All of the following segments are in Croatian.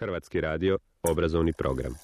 Hrvatski radio, obrazovni program.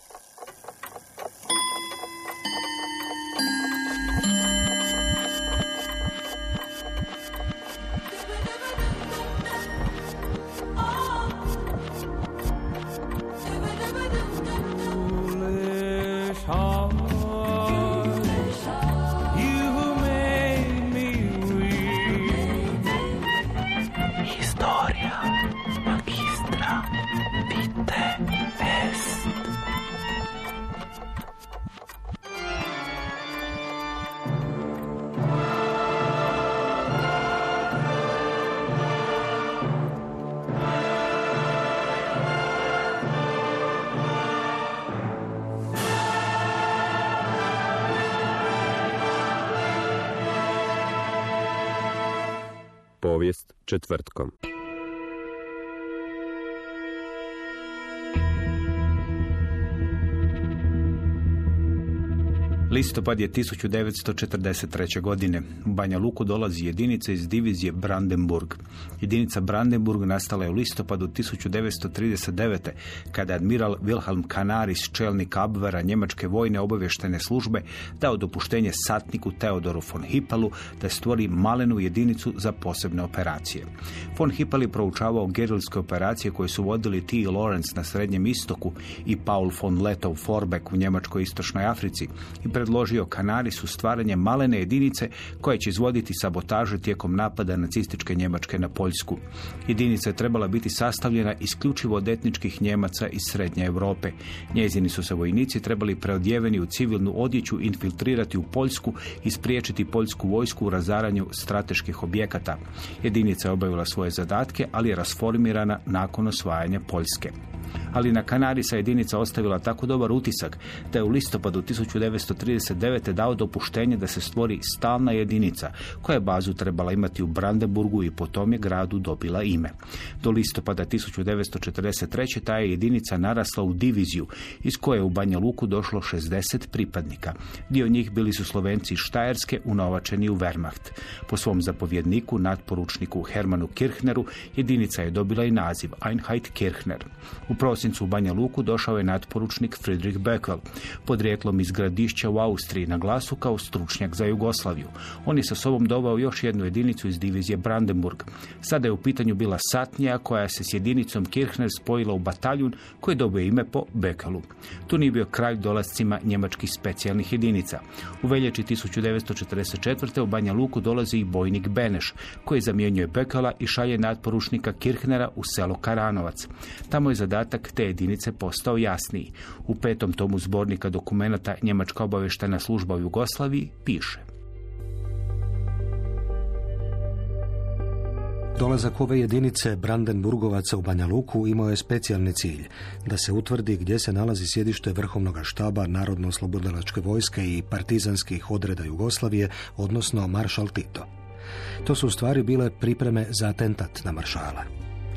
Povijest četvrtkom. Listopad je 1943. godine. U Banja Luku dolazi jedinica iz divizije Brandenburg. Jedinica Brandenburg nastala je u listopadu 1939. kada je admiral Wilhelm Canaris, čelnik Abwehra njemačke vojne obavještajne službe, dao dopuštenje satniku Theodoru von Hippelu da stvori malenu jedinicu za posebne operacije. Von Hippel je proučavao gerilske operacije koje su vodili T. Lawrence na Srednjem istoku i Paul von Lettow-Vorbeck u Njemačkoj istočnoj Africi i predložio Canarisu stvaranje malene jedinice koja će izvoditi sabotaže tijekom napada nacističke Njemačke na Poljsku. Jedinica je trebala biti sastavljena isključivo od etničkih Njemaca iz Srednje Europe. Njezini su se vojnici trebali preodjeveni u civilnu odjeću infiltrirati u Poljsku i spriječiti poljsku vojsku u razaranju strateških objekata. Jedinica je obavila svoje zadatke, ali je rasformirana nakon osvajanja Poljske. Ali na Canarisa jedinica ostavila tako dobar utisak da je u listopadu 1939. dao dopuštenje da se stvori stalna jedinica koja je bazu trebala imati u Brandenburgu i potom je gradu dobila ime. Do listopada 1943. ta je jedinica narasla u diviziju iz koje je u Banja Luku došlo 60 pripadnika. Dio njih bili su Slovenci iz Štajerske unovačeni u Wehrmacht. Po svom zapovjedniku, natporučniku Hermanu Kirchneru, jedinica je dobila i naziv Einheit Kirchner. U prosincu u Banja Luku došao je natporučnik Friedrich Böckel, podrijetlom iz Gradišća u Austriji, na glasu kao stručnjak za Jugoslaviju. On je sa sobom doveo još jednu jedinicu iz divizije Brandenburg. Sada je u pitanju bila satnija koja se s jedinicom Kirchner spojila u bataljun koji je dobio ime po Böckelu. Tu nije bio kraj dolascima njemačkih specijalnih jedinica. U veljači 1944. u Banja Luku dolazi i bojnik Beneš, koji zamjenjuje Böckela i šalje natporučnika Kirchnera u selo Karanovac. Tamo je zadatak te jedinice postao jasniji. U 5. tomu zbornika dokumenata Njemačka obavještajna služba u Jugoslaviji piše: Dolazak ove jedinice Brandenburgovaca u Banja Luku imao je specijalni cilj da se utvrdi gdje se nalazi sjedište Vrhovnog štaba Narodno-oslobodilačke vojske i partizanskih odreda Jugoslavije, odnosno maršal Tito. To su u stvari bile pripreme za atentat na maršala.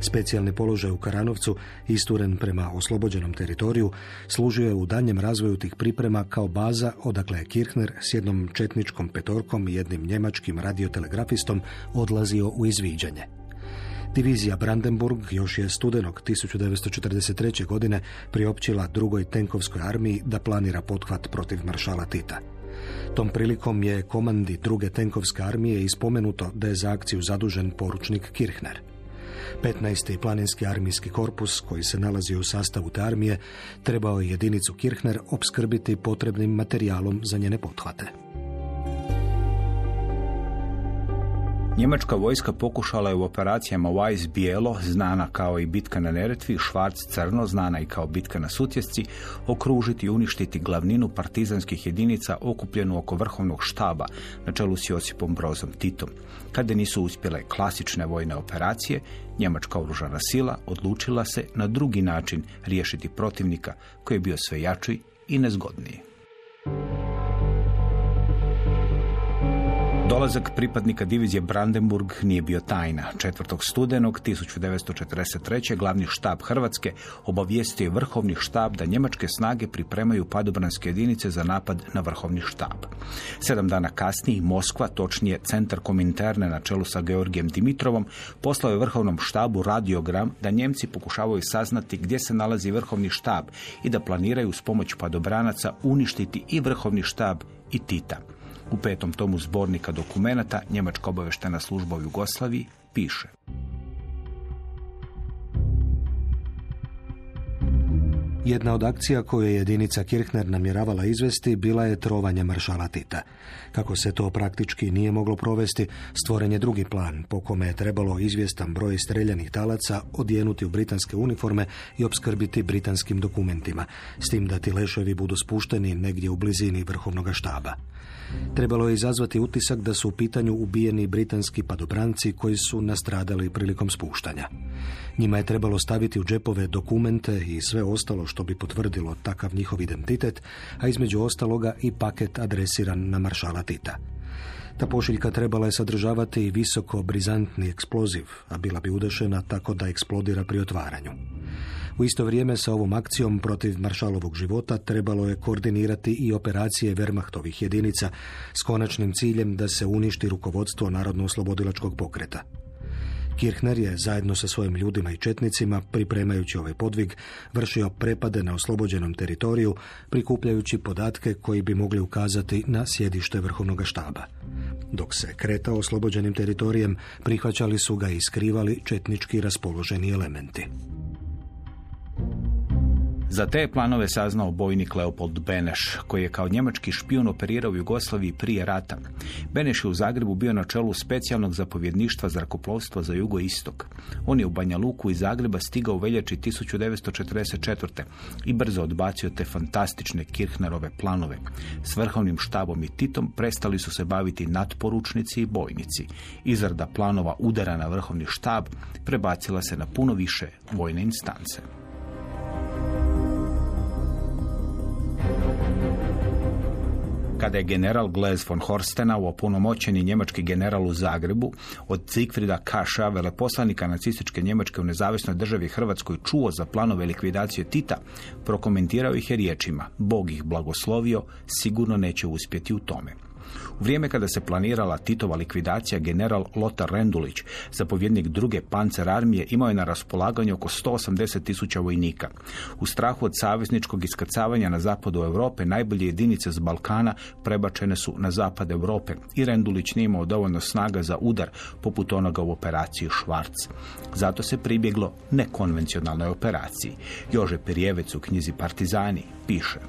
Specijalni položaj u Karanovcu, isturen prema oslobođenom teritoriju, služio je u daljnjem razvoju tih priprema kao baza odakle je Kirchner s jednom četničkom petorkom i jednim njemačkim radiotelegrafistom odlazio u izviđanje. Divizija Brandenburg još je studenog 1943. godine priopćila drugoj tenkovskoj armiji da planira pothvat protiv maršala Tita. Tom prilikom je komandi druge tenkovske armije ispomenuto da je za akciju zadužen poručnik Kirchner. 15. planinski armijski korpus, koji se nalazi u sastavu te armije, trebao je jedinicu Kirchner opskrbiti potrebnim materijalom za njene pothvate. Njemačka vojska pokušala je u operacijama Weiss bijelo, znana kao i bitka na Neretvi, Schwarz crno, znana i kao bitka na Sutjesci, okružiti i uništiti glavninu partizanskih jedinica okupljenu oko Vrhovnog štaba na čelu s Josipom Brozom Titom. Kada nisu uspjele klasične vojne operacije, njemačka oružana sila odlučila se na drugi način riješiti protivnika koji je bio sve jači i nezgodniji. Dolazak pripadnika divizije Brandenburg nije bio tajna. 4. studenog 1943. glavni štab Hrvatske obavijestio je vrhovni štab da njemačke snage pripremaju padobranske jedinice za napad na vrhovni štab. 7 dana kasnije Moskva, točnije Centar Kominterne na čelu sa Georgijem Dimitrovom, poslao je vrhovnom štabu radiogram da Njemci pokušavaju saznati gdje se nalazi vrhovni štab i da planiraju s pomoć padobranaca uništiti i vrhovni štab i Tita. U 5. tomu zbornika dokumenata Njemačka obavještajna služba u Jugoslaviji piše: Jedna od akcija koju je jedinica Kirchner namjeravala izvesti bila je trovanje maršala Tita. Kako se to praktički nije moglo provesti, stvoren je drugi plan po kome je trebalo izvjestan broj streljanih talaca odjenuti u britanske uniforme i opskrbiti britanskim dokumentima, s tim da ti leševi budu spušteni negdje u blizini vrhovnog štaba. Trebalo je izazvati utisak da su u pitanju ubijeni britanski padobranci koji su nastradali prilikom spuštanja. Njima je trebalo staviti u džepove dokumente i sve ostalo što bi potvrdilo takav njihov identitet, a između ostaloga i paket adresiran na maršala Tita. Ta pošiljka trebala je sadržavati i visoko brizantni eksploziv, a bila bi udešena tako da eksplodira pri otvaranju. U isto vrijeme sa ovom akcijom protiv maršalovog života trebalo je koordinirati i operacije Wehrmachtovih jedinica s konačnim ciljem da se uništi rukovodstvo Narodno-oslobodilačkog pokreta. Kirchner je zajedno sa svojim ljudima i četnicima, pripremajući ovaj podvig, vršio prepade na oslobođenom teritoriju, prikupljajući podatke koji bi mogli ukazati na sjedište vrhovnog štaba. Dok se kretao oslobođenim teritorijem, prihvaćali su ga i skrivali četnički raspoloženi elementi. Za te planove saznao bojnik Leopold Beneš, koji je kao njemački špijun operirao u Jugoslaviji prije rata. Beneš je u Zagrebu bio na čelu specijalnog zapovjedništva zrakoplovstva za jugoistok. On je u Banja Luku iz Zagreba stigao u veljači 1944. i brzo odbacio te fantastične Kirchnerove planove. S vrhovnim štabom i Titom prestali su se baviti natporučnici i bojnici. Izrada planova udara na vrhovni štab prebacila se na puno više vojne instance. Kada je general Glez von Horstenau, opunomoćeni njemački general u Zagrebu, od Siegfrieda Kascha, veleposlanika nacističke Njemačke u nezavisnoj državi Hrvatskoj, čuo za planove likvidacije Tita, prokomentirao ih je riječima: Bog ih blagoslovio, sigurno neće uspjeti u tome. U vrijeme kada se planirala Titova likvidacija, general Lothar Rendulić, zapovjednik druge pancer armije, imao je na raspolaganju oko 180.000 vojnika. U strahu od savezničkog iskrcavanja na zapadu Europe, najbolje jedinice s Balkana prebačene su na zapad Europe i Rendulić nije imao dovoljno snaga za udar poput onoga u operaciji Švarc. Zato se pribjeglo nekonvencionalnoj operaciji. Jože Perjevec u knjizi Partizani piše: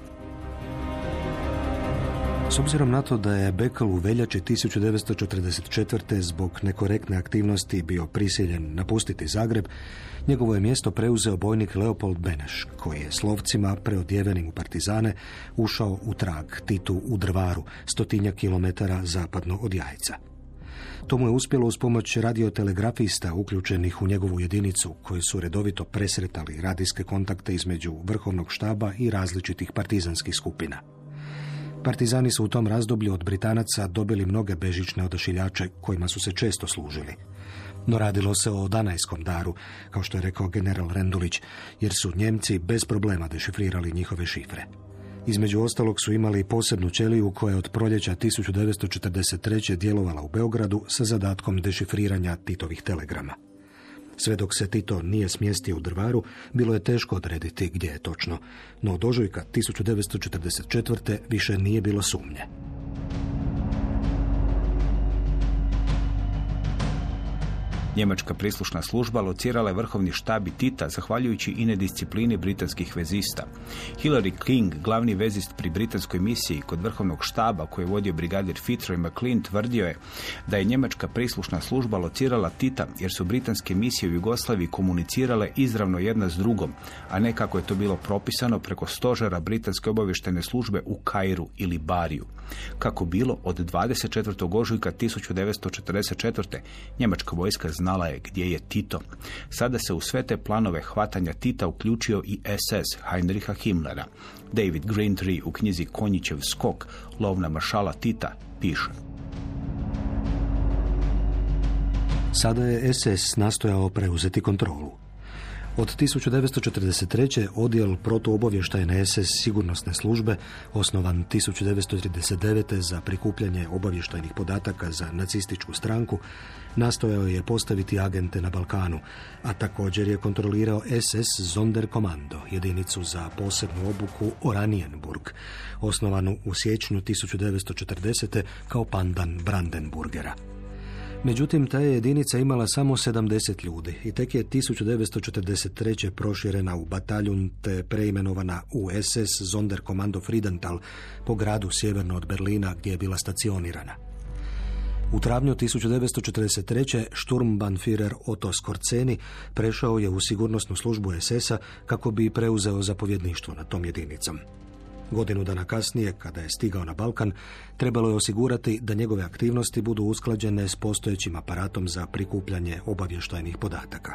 S obzirom na to da je Bekl u veljači 1944. zbog nekorektne aktivnosti bio prisiljen napustiti Zagreb, njegovo je mjesto preuzeo bojnik Leopold Beneš, koji je s lovcima preodjevenim u partizane ušao u trag Titu u Drvaru, 100 kilometara zapadno od Jajca. To mu je uspjelo uz pomoć radiotelegrafista uključenih u njegovu jedinicu, koji su redovito presretali radijske kontakte između vrhovnog štaba i različitih partizanskih skupina. Partizani su u tom razdoblju od Britanaca dobili mnoge bežične odašiljače kojima su se često služili. No radilo se o danajskom daru, kao što je rekao general Rendulić, jer su Njemci bez problema dešifrirali njihove šifre. Između ostalog su imali posebnu ćeliju koja je od proljeća 1943. djelovala u Beogradu sa zadatkom dešifriranja Titovih telegrama. Sve dok se Tito nije smjestio u Drvaru, bilo je teško odrediti gdje je točno, no od ožujka 1944. više nije bilo sumnje. Njemačka prislušna služba locirala je vrhovni štab i Tita zahvaljujući i nedisciplini britanskih vezista. Hilary King, glavni vezist pri britanskoj misiji kod vrhovnog štaba koji je vodio brigadir Fitzroy McLean, tvrdio je da je njemačka prislušna služba locirala Tita jer su britanske misije u Jugoslaviji komunicirale izravno jedna s drugom, a ne kako je to bilo propisano preko stožera britanske obavještajne službe u Kairu ili Bariju. Kako bilo, od 24. ožujka 1944. njemačka vojska znala je gdje je Tito. Sada se u sve te planove hvatanja Tita uključio i SS Heinricha Himmlera. David Greentree u knjizi Konjićev skok, lov na maršala Tita, piše: Sada je SS nastojao preuzeti kontrolu. Od 1943. odjel protuobavještajne SS sigurnosne službe, osnovan 1939. za prikupljanje obavještajnih podataka za nacističku stranku, nastojao je postaviti agente na Balkanu, a također je kontrolirao SS Sonderkommando, jedinicu za posebnu obuku Oranienburg, osnovanu u siječnju 1940. kao pandan Brandenburgera. Međutim, ta je jedinica imala samo 70 ljudi i tek je 1943. proširena u bataljun te preimenovana u SS Sonderkommando Friedenthal po gradu sjeverno od Berlina gdje je bila stacionirana. U travnju 1943. Sturmbannführer Otto Skorzeny prešao je u sigurnosnu službu SS-a kako bi preuzeo zapovjedništvo nad tom jedinicom. Godinu dana kasnije, kada je stigao na Balkan, trebalo je osigurati da njegove aktivnosti budu usklađene s postojećim aparatom za prikupljanje obavještajnih podataka.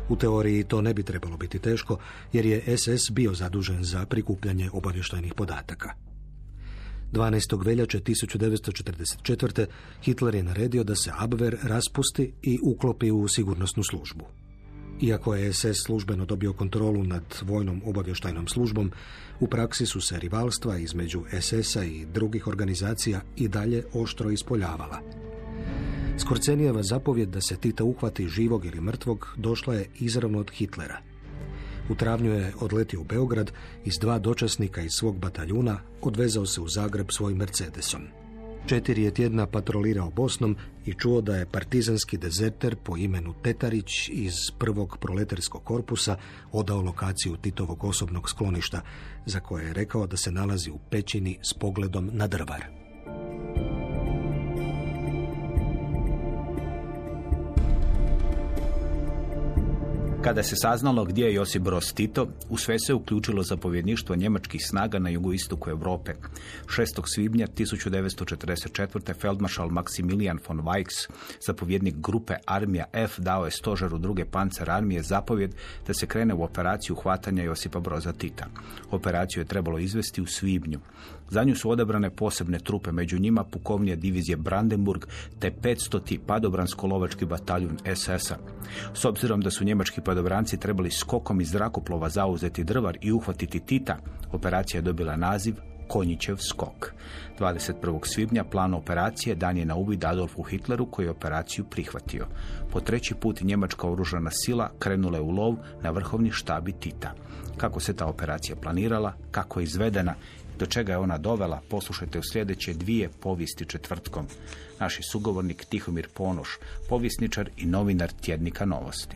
U teoriji to ne bi trebalo biti teško, jer je SS bio zadužen za prikupljanje obavještajnih podataka. 12. veljače 1944. Hitler je naredio da se Abwehr raspusti i uklopi u sigurnosnu službu. Iako je SS službeno dobio kontrolu nad vojnom obavještajnom službom, u praksi su se rivalstva između SS-a i drugih organizacija i dalje oštro ispoljavala. Skorcenijeva zapovjed da se Tita uhvati živog ili mrtvog došla je izravno od Hitlera. U travnju je odletio u Beograd i s 2 dočasnika iz svog bataljuna odvezao se u Zagreb svojim Mercedesom. 4 je tjedna patrolirao Bosnom i čuo da je partizanski dezerter po imenu Tetarić iz 1. proletarskog korpusa odao lokaciju Titovog osobnog skloništa, za koje je rekao da se nalazi u pećini s pogledom na Drvar. Kada se saznalo gdje je Josip Broz Tito, u sve se uključilo zapovjedništvo njemačkih snaga na jugoistoku Europe. 6. svibnja 1944. feldmaršal Maximilian von Weichs, zapovjednik grupe Armija F, dao je stožeru 2. pancer armije zapovjed da se krene u operaciju hvatanja Josipa Broza Tita. Operaciju je trebalo izvesti u svibnju. Za nju su odabrane posebne trupe, među njima pukovnija divizije Brandenburg te 500. padobransko-lovački bataljun SS-a. S obzirom da su njemački padobranci trebali skokom iz zrakoplova zauzeti Drvar i uhvatiti Tita, operacija je dobila naziv Konjićev skok. 21. svibnja plan operacije dan je na uvid Adolfu Hitleru koji je operaciju prihvatio. Po 3. put njemačka oružana sila krenula je u lov na vrhovni štabi Tita. Kako se ta operacija planirala, kako je izvedena, do čega je ona dovela, poslušajte u sljedeće 2 povijesti četvrtkom. Naš sugovornik Tihomir Ponoš, povjesničar i novinar tjednika Novosti.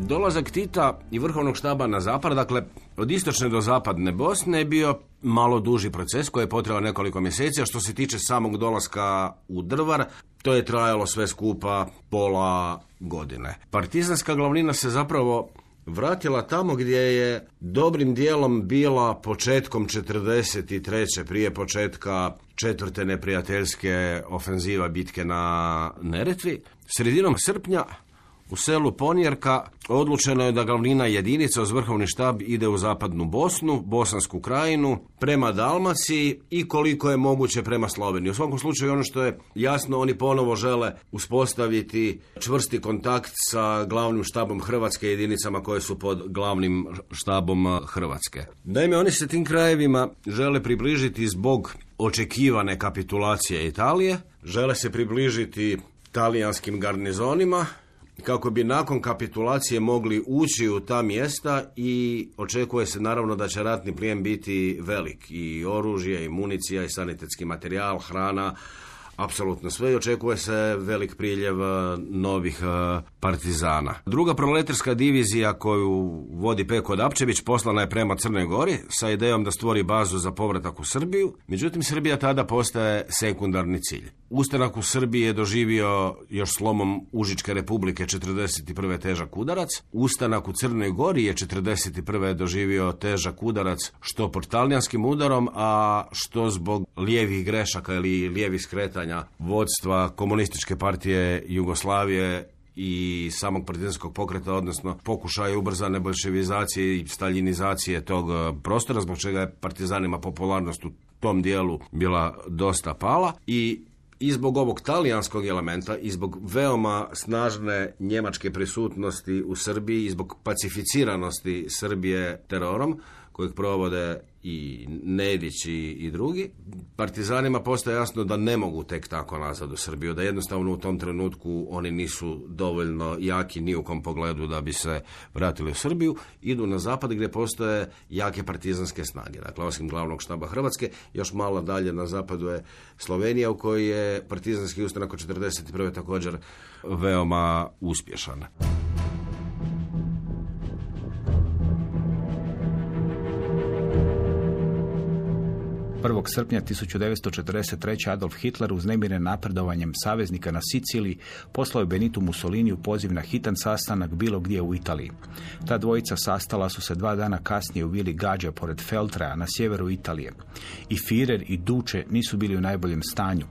Dolazak Tita i vrhovnog štaba na zapad, dakle od istočne do zapadne Bosne, je bio malo duži proces koji je potrajao nekoliko mjeseci, a što se tiče samog dolaska u Drvar, to je trajalo sve skupa pola godine. Partizanska glavnina se zapravo vratila tamo gdje je dobrim dijelom bila početkom 1943. prije početka 4. neprijateljske ofenziva bitke na Neretvi. Sredinom srpnja u selu Ponjerka odlučeno je da glavnina jedinica uz vrhovni štab ide u zapadnu Bosnu, Bosansku krajinu, prema Dalmaciji i koliko je moguće prema Sloveniji. U svakom slučaju ono što je jasno, oni ponovo žele uspostaviti čvrsti kontakt sa glavnim štabom Hrvatske, jedinicama koje su pod glavnim štabom Hrvatske. Naime, oni se tim krajevima žele približiti zbog očekivane kapitulacije Italije, žele se približiti talijanskim garnizonima, kako bi nakon kapitulacije mogli ući u ta mjesta i očekuje se naravno da će ratni plijen biti velik. I oružje, i municija, i sanitetski materijal, hrana, apsolutno sve, i očekuje se velik priljev novih partizana. Druga proletarska divizija koju vodi Peko Dapčević poslana je prema Crnoj Gori sa idejom da stvori bazu za povratak u Srbiju, međutim Srbija tada postaje sekundarni cilj. Ustanak u Srbiji je doživio još slomom Užičke republike 1941. težak udarac. Ustanak u Crnoj Gori je 1941. doživio težak udarac što pod talijanskim udarom, a što zbog lijevih grešaka ili lijevih skretanja vodstva Komunističke partije Jugoslavije i samog partizanskog pokreta, odnosno pokušaja ubrzane bolševizacije i staljinizacije tog prostora, zbog čega je partizanima popularnost u tom dijelu bila dosta pala i zbog ovog talijanskog elementa i zbog veoma snažne njemačke prisutnosti u Srbiji i zbog pacificiranosti Srbije terorom kojeg provode i Nedić i drugi, partizanima postaje jasno da ne mogu tek tako nazad u Srbiju, da jednostavno u tom trenutku oni nisu dovoljno jaki ni u kom pogledu da bi se vratili u Srbiju, idu na zapad gdje postoje jake partizanske snage. Dakle, osim glavnog štaba Hrvatske, još malo dalje na zapadu je Slovenija u kojoj je partizanski ustanak od 1941. također veoma uspješan. 1. srpnja 1943. Adolf Hitler uznemiren napredovanjem saveznika na Siciliji poslao je Benitu Mussoliniju poziv na hitan sastanak bilo gdje u Italiji. Ta dvojica sastala su se 2 dana kasnije u vili Gađa pored Feltrea na sjeveru Italije. I Führer i Duce nisu bili u najboljem stanju.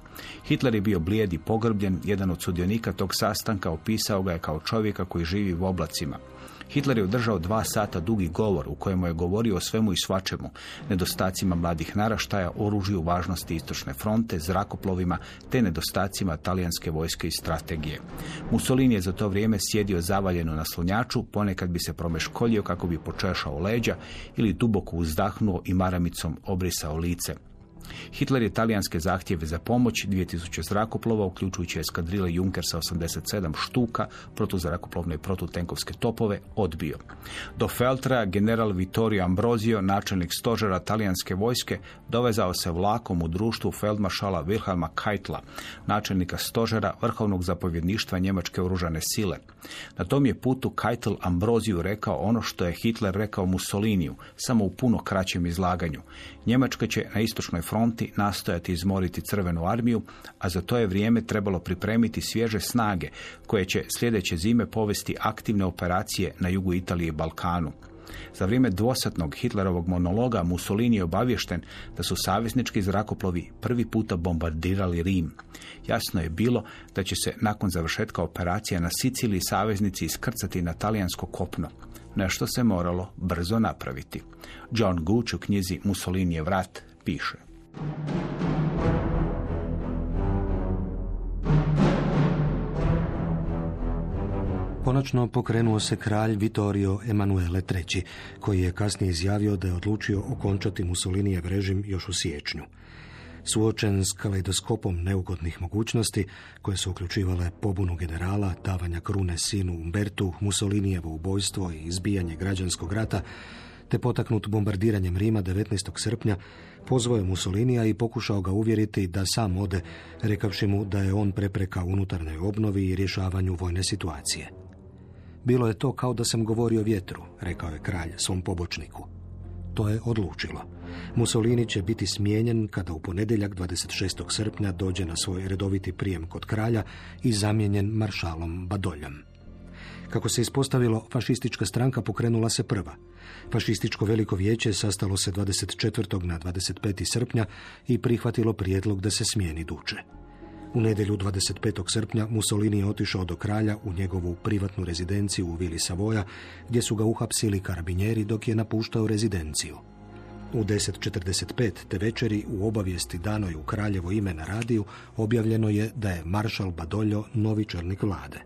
Hitler je bio blijed i pogrbljen, jedan od sudionika tog sastanka opisao ga je kao čovjeka koji živi u oblacima. Hitler je održao 2 sata dugi govor u kojemu je govorio o svemu i svačemu, nedostacima mladih naraštaja, oružju, važnosti istočne fronte, zrakoplovima te nedostacima talijanske vojske i strategije. Mussolini je za to vrijeme sjedio zavaljeno na slonjaču, ponekad bi se promeškoljio kako bi počešao leđa ili duboko uzdahnuo i maramicom obrisao lice. Hitler je talijanske zahtjeve za pomoć 2000 zrakoplova, uključujući eskadrile Junkersa 87 štuka, protuzrakoplovne i protutenkovske topove, odbio. Do Feltrea general Vittorio Ambrosio, načelnik stožera talijanske vojske, dovezao se vlakom u društvu feldmaršala Wilhelma Keitla, načelnika stožera vrhovnog zapovjedništva njemačke oružane sile. Na tom je putu Keitel Ambrosiju rekao ono što je Hitler rekao Mussoliniju, samo u puno kraćem izlaganju. Njemačka će na istočnoj fronti nastojati izmoriti Crvenu armiju, a za to je vrijeme trebalo pripremiti svježe snage koje će sljedeće zime povesti aktivne operacije na jugu Italije i Balkanu. Za vrijeme dvosatnog Hitlerovog monologa Mussolini je obaviješten da su saveznički zrakoplovi prvi puta bombardirali Rim. Jasno je bilo da će se nakon završetka operacija na Siciliji saveznici iskrcati na talijansko kopno. Nešto se moralo brzo napraviti. John Gooch u knjizi Mussolinijev rat piše: Konačno pokrenuo se kralj Vittorio Emanuele III, koji je kasnije izjavio da je odlučio okončati Mussolinijev režim još u siječnju. Suočen s kaleidoskopom neugodnih mogućnosti, koje su uključivale pobunu generala, davanja krune sinu Umbertu, Mussolinijevo ubojstvo i izbijanje građanskog rata, te potaknut bombardiranjem Rima 19. srpnja, pozvao je Mussolinija i pokušao ga uvjeriti da sam ode, rekavši mu da je on prepreka unutarnjoj obnovi i rješavanju vojne situacije. Bilo je to kao da sam govorio vjetru, rekao je kralj svom pobočniku. To je odlučilo. Mussolini će biti smijenjen kada u ponedjeljak 26. srpnja dođe na svoj redoviti prijem kod kralja i zamijenjen maršalom Badoljom. Kako se ispostavilo, fašistička stranka pokrenula se prva. Fašističko veliko vijeće sastalo se 24. na 25. srpnja i prihvatilo prijedlog da se smijeni Duce. U nedjelju 25. srpnja Mussolini je otišao do kralja u njegovu privatnu rezidenciju u vili Savoja, gdje su ga uhapsili karabinjeri dok je napuštao rezidenciju. U 10:45 te večeri u obavijesti danoj u kraljevo ime na radiju objavljeno je da je maršal Badoglio novi čelnik vlade.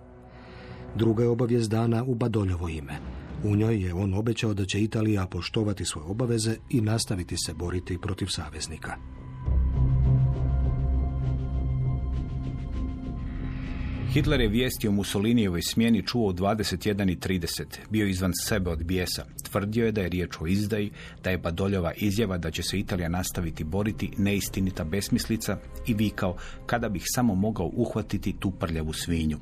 Druga je obavijest dana u Badoljovo ime. U njoj je on obećao da će Italija poštovati svoje obaveze i nastaviti se boriti protiv saveznika. Hitler je vijesti o Mussolinijevoj smjeni čuo u 21:30. Bio izvan sebe od bijesa. Tvrdio je da je riječ o izdaji, da je Badoljova izjava da će se Italija nastaviti boriti neistinita besmislica i vikao kada bih samo mogao uhvatiti tu prljavu svinju.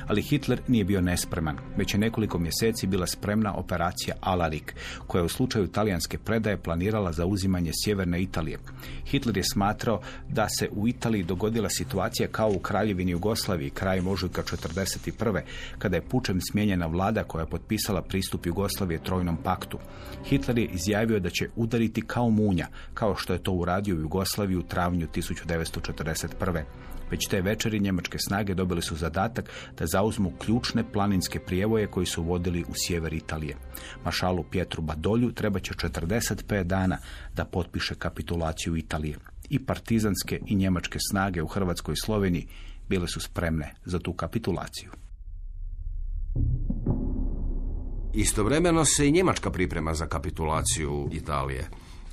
Ali Hitler nije bio nespreman. Već je nekoliko mjeseci bila spremna operacija Alarik, koja je u slučaju talijanske predaje planirala zauzimanje sjeverne Italije. Hitler je smatrao da se u Italiji dogodila situacija kao u Kraljevini Jugoslaviji krajem ožujka 1941. kada je pučem smijenjena vlada koja je potpisala pristup Jugoslavije Trojnom paktu. Hitler je izjavio da će udariti kao munja, kao što je to uradio u Jugoslaviji u travnju 1941. Već te večeri njemačke snage dobili su zadatak da zauzmu ključne planinske prijevoje koji su vodili u sjever Italije. Maršalu Pietru Badolju treba će 45 dana da potpiše kapitulaciju Italije. I partizanske i njemačke snage u Hrvatskoj i Sloveniji bile su spremne za tu kapitulaciju. Istovremeno se i Njemačka priprema za kapitulaciju Italije.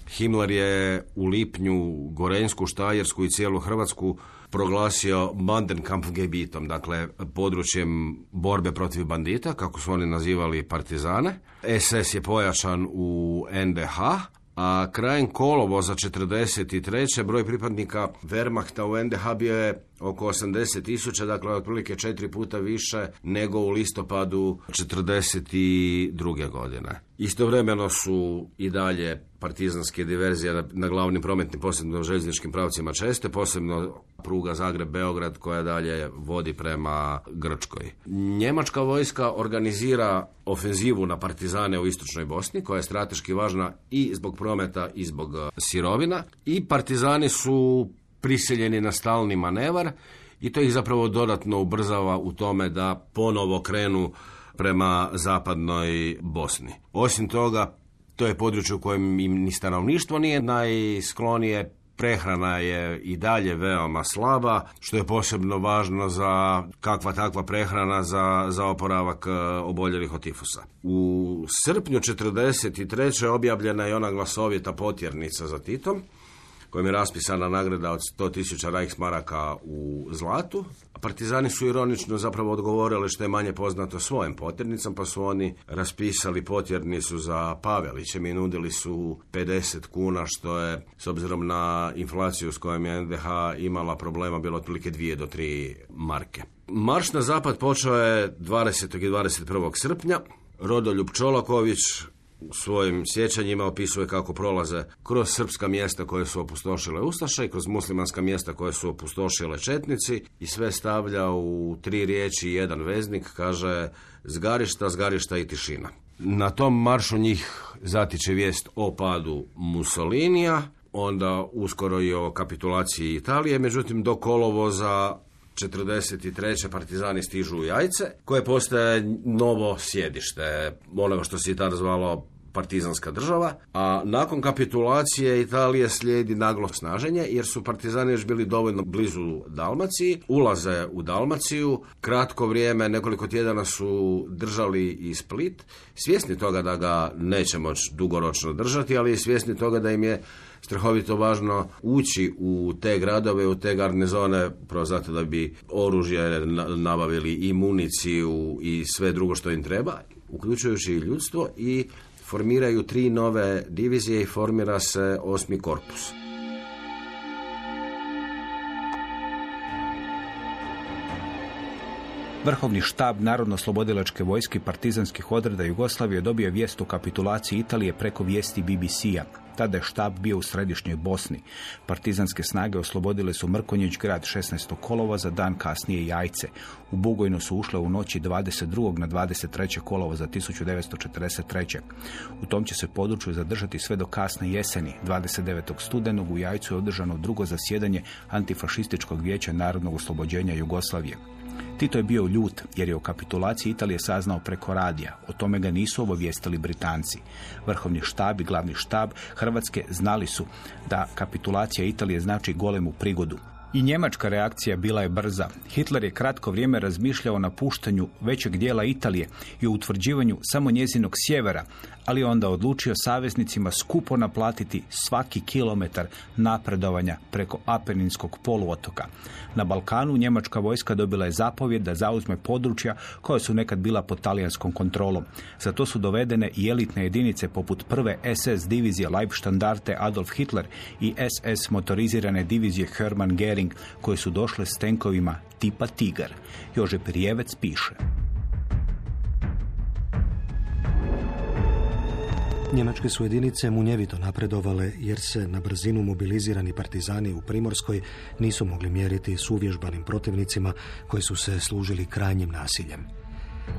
Himmler je u lipnju Gorenjsku, Štajersku i cijelu Hrvatsku proglasio Bandenkampfgebietom, dakle područjem borbe protiv bandita, kako su oni nazivali partizane. SS je pojačan u NDH, a krajem kolovoza 1943. broj pripadnika Wehrmachta u NDH bio je oko 80.000, dakle otprilike 4 puta više nego u listopadu 1942. godine. Istovremeno su i dalje partizanske diverzije na glavnim prometnim, posebno željezničkim pravcima česte, posebno pruga Zagreb-Beograd koja dalje vodi prema Grčkoj. Njemačka vojska organizira ofenzivu na partizane u istočnoj Bosni, koja je strateški važna i zbog prometa i zbog sirovina, i partizani su prisiljeni na stalni manevar i to ih zapravo dodatno ubrzava u tome da ponovo krenu prema zapadnoj Bosni. Osim toga, to je područje u kojem im ni stanovništvo nije najsklonije, prehrana je i dalje veoma slaba, što je posebno važno za kakva takva prehrana za oporavak oboljelih od tifusa. U srpnju 1943. objavljena je ona glasovita potjernica za Titom, kojim je raspisana nagrada od 100.000 Reichsmaraka u zlatu. Partizani su ironično zapravo odgovorili što je manje poznato svojim potjernicama, pa su oni raspisali potjernicu za Pavelićem i nudili su 50 kuna, što je, s obzirom na inflaciju s kojom je NDH imala problema, bilo otprilike 2 do 3 marke. Marš na zapad počeo je 20. i 21. srpnja. Rodoljub Čolaković u svojim sjećanjima opisuje kako prolaze kroz srpska mjesta koje su opustošile ustaše i kroz muslimanska mjesta koje su opustošile četnici i sve stavlja u 3 riječi i 1 veznik, kaže zgarišta, zgarišta i tišina. Na tom maršu njih zatiče vijest o padu Mussolinija, onda uskoro i o kapitulaciji Italije, međutim do kolovoza 1943. partizani stižu u Jajce, koje postaje novo sjedište onoga što se i tada zvalo partizanska država, a nakon kapitulacije Italije slijedi naglo snaženje, jer su partizani još bili dovoljno blizu Dalmaciji, ulaze u Dalmaciju, kratko vrijeme, nekoliko tjedana su držali i Split, svjesni toga da ga neće moći dugoročno držati, ali svjesni toga da im je strahovito važno ući u te gradove, u te garnizone, prvo zato da bi oružje nabavili i municiju i sve drugo što im treba, uključujući i ljudstvo, i formiraju 3 nove divizije i formira se 8. korpus. Vrhovni štab Narodno-slobodilačke vojske partizanskih odreda Jugoslavije dobio vijest o kapitulaciji Italije preko vijesti BBC-a. Tada je štab bio u središnjoj Bosni. Partizanske snage oslobodile su Mrkonjić grad 16. kolovoza, dan kasnije Jajce. U Bugojno su ušle u noći 22. na 23. kolovoza 1943. U tom će se području zadržati sve do kasne jeseni. 29. studenog u Jajcu je održano drugo zasjedanje Antifašističkog vijeća narodnog oslobođenja Jugoslavije. Tito je bio ljut jer je o kapitulaciji Italije saznao preko radija. O tome ga nisu obavijestili Britanci. Vrhovni štab i glavni štab Hrvatske znali su da kapitulacija Italije znači golemu prigodu. I njemačka reakcija bila je brza. Hitler je kratko vrijeme razmišljao o napuštanju većeg dijela Italije i o utvrđivanju samo njezinog sjevera, ali onda odlučio saveznicima skupo naplatiti svaki kilometar napredovanja preko Apeninskog poluotoka. Na Balkanu njemačka vojska dobila je zapovjed da zauzme područja koja su nekad bila pod talijanskom kontrolom. Za to su dovedene i elitne jedinice poput prve SS divizije Leibstandarte Adolf Hitler i SS motorizirane divizije Hermann Göring, koje su došle s tenkovima tipa Tigar. Jožef Rijevec piše: Njemačke su jedinice munjevito napredovale jer se na brzinu mobilizirani partizani u Primorskoj nisu mogli mjeriti s uvježbanim protivnicima koji su se služili krajnjim nasiljem.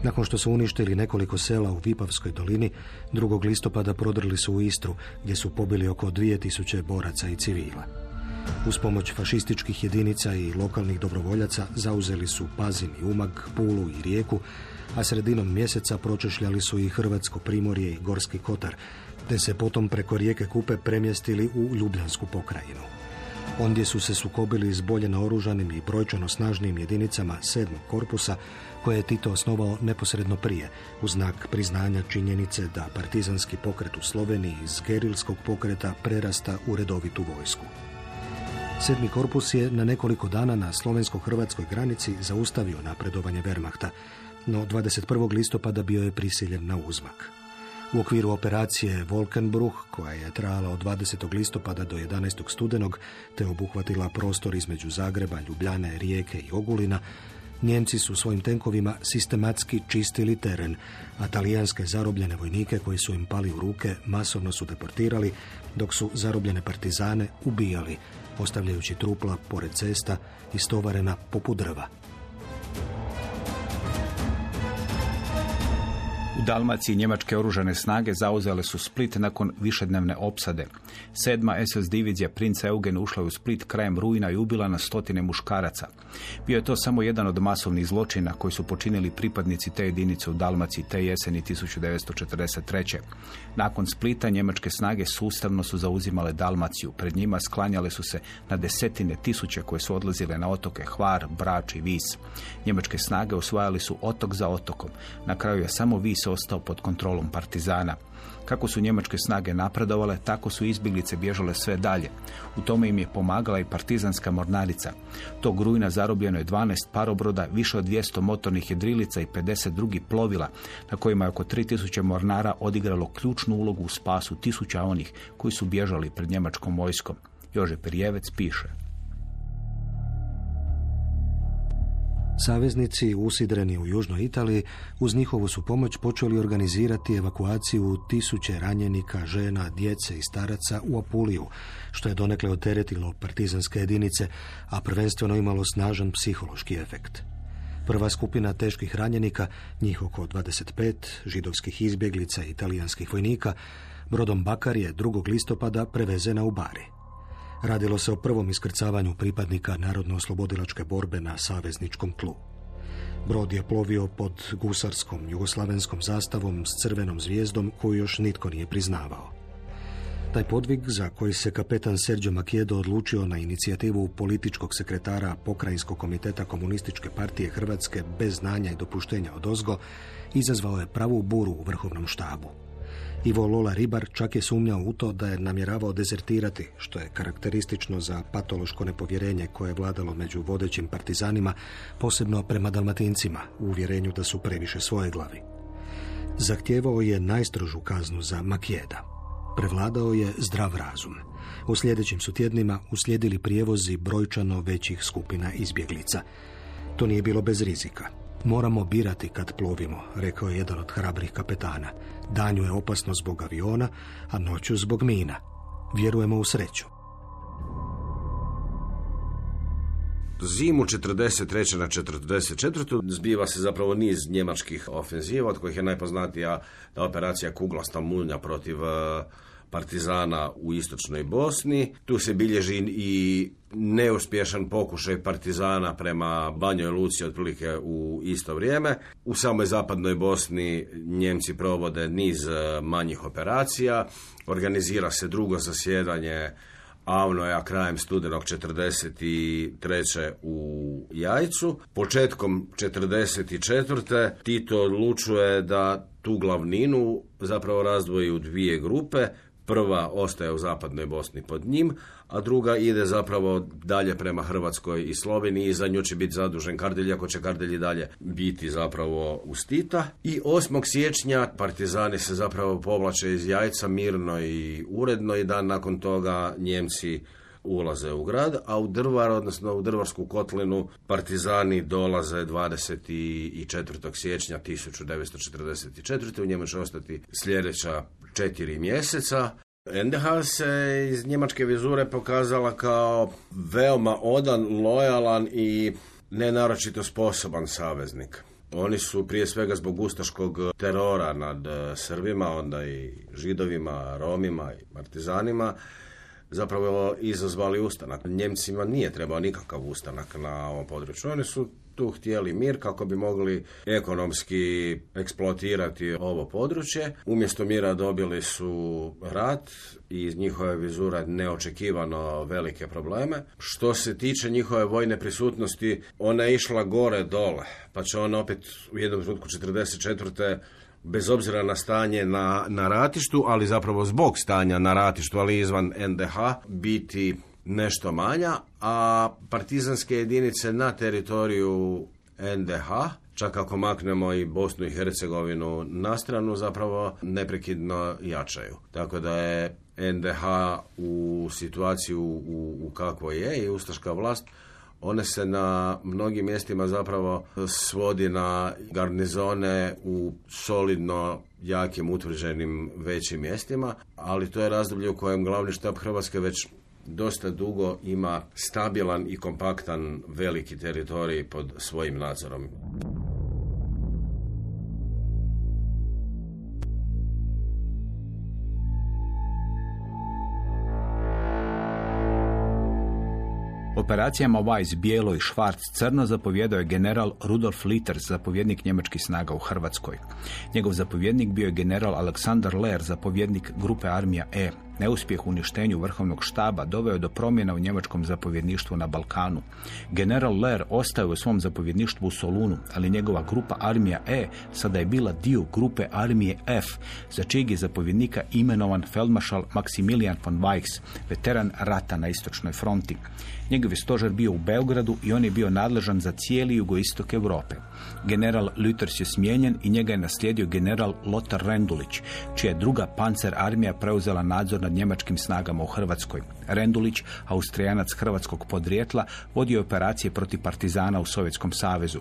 Nakon što su uništili nekoliko sela u Vipavskoj dolini, 2. listopada prodrli su u Istru, gdje su pobili oko 2000 boraca i civila. Uz pomoć fašističkih jedinica i lokalnih dobrovoljaca zauzeli su Pazin i Umag, Pulu i Rijeku, a sredinom mjeseca pročešljali su i Hrvatsko primorje i Gorski kotar, te se potom preko rijeke Kupe premjestili u Ljubljansku pokrajinu. Ondje su se sukobili s bolje naoružanim i brojčano snažnim jedinicama 7. korpusa, koje je Tito osnovao neposredno prije, u znak priznanja činjenice da partizanski pokret u Sloveniji iz gerilskog pokreta prerasta u redovitu vojsku. 7. korpus je na nekoliko dana na slovensko-hrvatskoj granici zaustavio napredovanje Wehrmachta, no 21. listopada bio je prisiljen na uzmak. U okviru operacije Wolkenbruch, koja je trajala od 20. listopada do 11. studenog, te obuhvatila prostor između Zagreba, Ljubljane, Rijeke i Ogulina, Njemci su svojim tenkovima sistematski čistili teren, a talijanske zarobljene vojnike koji su im pali u ruke masovno su deportirali, dok su zarobljene partizane ubijali, ostavljajući trupla pored cesta istovarena poput drva. U Dalmaciji njemačke oružane snage zauzele su Split nakon višednevne opsade. 7. SS divizija princa Eugen ušla je u Split krajem rujna i ubila na stotine muškaraca. Bio je to samo jedan od masovnih zločina koji su počinili pripadnici te jedinice u Dalmaciji te jeseni 1943. Nakon Splita njemačke snage sustavno su zauzimale Dalmaciju. Pred njima sklanjale su se na desetine tisuće koje su odlazile na otoke Hvar, Brač i Vis. Njemačke snage osvajali su otok za otokom. Na kraju je samo Vis ostao pod kontrolom partizana. Kako su njemačke snage napredovale, tako su izbjeglice bježale sve dalje. U tome im je pomagala i partizanska mornarica. Tog rujna zarobljeno je 12 parobroda, više od 200 motornih jedrilica i 50 drugih plovila, na kojima je oko 3000 mornara odigralo ključnu ulogu u spasu tisuća onih koji su bježali pred njemačkom vojskom. Jože Perjevec piše: Saveznici, usidreni u južnoj Italiji, uz njihovu su pomoć počeli organizirati evakuaciju tisuće ranjenika, žena, djece i staraca u Apuliju, što je donekle oteretilo partizanske jedinice, a prvenstveno imalo snažan psihološki efekt. Prva skupina teških ranjenika, njih oko 25, židovskih izbjeglica i italijanskih vojnika, brodom Bakar je 2. listopada prevezena u Bari. Radilo se o prvom iskrcavanju pripadnika Narodno-oslobodilačke borbe na savezničkom tlu. Brod je plovio pod gusarskom jugoslavenskom zastavom s crvenom zvijezdom koju još nitko nije priznavao. Taj podvig, za koji se kapetan Sergio Macchiedo odlučio na inicijativu političkog sekretara Pokrajinskog komiteta Komunističke partije Hrvatske bez znanja i dopuštenja odozgo, izazvao je pravu buru u vrhovnom štabu. Ivo Lola Ribar čak je sumnjao u to da je namjeravao dezertirati, što je karakteristično za patološko nepovjerenje koje je vladalo među vodećim partizanima, posebno prema Dalmatincima, u uvjerenju da su previše svojeglavi. Zahtijevao je najstrožu kaznu za Macchieda. Prevladao je zdrav razum. U sljedećim su tjednima uslijedili prijevozi brojčano većih skupina izbjeglica. To nije bilo bez rizika. Moramo birati kad plovimo, rekao je jedan od hrabrih kapetana. Danju je opasno zbog aviona, a noću zbog mina. Vjerujemo u sreću. Zimu 43. na 44. zbiva se zapravo niz njemačkih ofenziva, od kojih je najpoznatija operacija Kuglasta mulja protiv partizana u istočnoj Bosni. Tu se bilježi i neuspješan pokušaj partizana prema Banjoj Luci otprilike u isto vrijeme. U samoj zapadnoj Bosni Njemci provode niz manjih operacija. Organizira se drugo zasjedanje AVNOJ-a krajem studenog 43. u Jajcu. Početkom 44. Tito odlučuje da tu glavninu zapravo razdvoji u dvije grupe. Prva ostaje u zapadnoj Bosni pod njim, a druga ide zapravo dalje prema Hrvatskoj i Sloveniji i za nju će biti zadužen Kardelj, ako će Kardelj i dalje biti zapravo uz Tita. I 8. siječnja partizani se zapravo povlače iz Jajca mirno i uredno i dan nakon toga Njemci ulaze u grad, a u Drvar, odnosno u Drvarsku kotlinu, partizani dolaze 24. siječnja 1944. U njemu će ostati sljedeća 4 mjeseca. NDH se iz njemačke vizure pokazala kao veoma odan, lojalan i nenaročito sposoban saveznik. Oni su prije svega zbog ustaškog terora nad Srbima, onda i Židovima, Romima i partizanima, zapravo izazvali ustanak. Njemcima nije trebao nikakav ustanak na ovom području. Oni su tu htjeli mir kako bi mogli ekonomski eksploatirati ovo područje. Umjesto mira dobili su rat i iz njihove vizure neočekivano velike probleme. Što se tiče njihove vojne prisutnosti, ona je išla gore dole, pa će on opet u jednom trenutku 1944. bez obzira na stanje na ratištu, ali zapravo zbog stanja na ratištu, ali izvan NDH, biti nešto manja, a partizanske jedinice na teritoriju NDH, čak ako maknemo i Bosnu i Hercegovinu na stranu, zapravo neprekidno jačaju. Tako da je NDH u situaciju u kakvoj je i ustaška vlast, one se na mnogim mjestima zapravo svodi na garnizone u solidno jakim utvrđenim većim mjestima, ali to je razdoblje u kojem glavni štab Hrvatske već dosta dugo ima stabilan i kompaktan veliki teritorij pod svojim nadzorom. Operacijama Weiss bijelo i Schwarz crno zapovjedao je general Rudolf Litters, zapovjednik njemačkih snaga u Hrvatskoj. Njegov zapovjednik bio je general Alexander Lehr, zapovjednik grupe armija E. Neuspjeh u uništenju vrhovnog štaba doveo je do promjena u njemačkom zapovjedništvu na Balkanu. General Lehr ostao u svom zapovjedništvu u Solunu, ali njegova grupa armija E sada je bila dio grupe armije F, za čijeg je zapovjednika imenovan feldmaršal Maximilian von Weichs, veteran rata na istočnoj fronti. Njegov je stožer bio u Beogradu i on je bio nadležan za cijeli jugoistok Europe. General Lüters je smijenjen i njega je naslijedio general Lothar Rendulić, čija je druga pancer armija preuzela nadzor nad njemačkim snagama u Hrvatskoj. Rendulić, Austrijanac hrvatskog podrijetla, vodio operacije protiv partizana u Sovjetskom savezu.